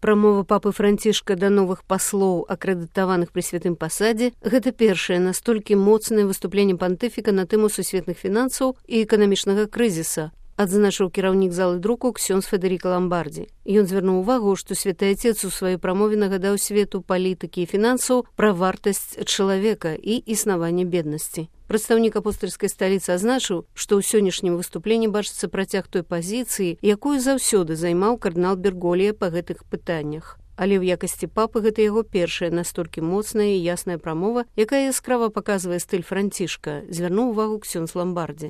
Прамова папы Францішка да новых паслоў, акрэдытаваных пры святым пасадзе, гэта першае настолькі моцнае выступленне пантыфіка на тэму сусветных фінансаў і эканамічнага крызіса, адзначыў кіраўнік залы друку ксёндз Федэріка Ламбардзі. Ён звярнуў увагу, што святы Отец у сваёй прамове нагадаў свету палітыкі і фінансаў пра вартасць чалавека і існаванне беднасці. Прадстаўнік апостальскай сталіцы адзначыў, што ў сённяшнім выступленні бачыцца працяг той пазіцыі, якую заўсёды займаў кардынал Берголія па гэтых пытаннях. Але ў якасці папы гэта яго першая настолькі моцная і ясная прамова, якая яскрава паказвае стыль Францішка, звярнуў увагу ксёндз Ламбардзі.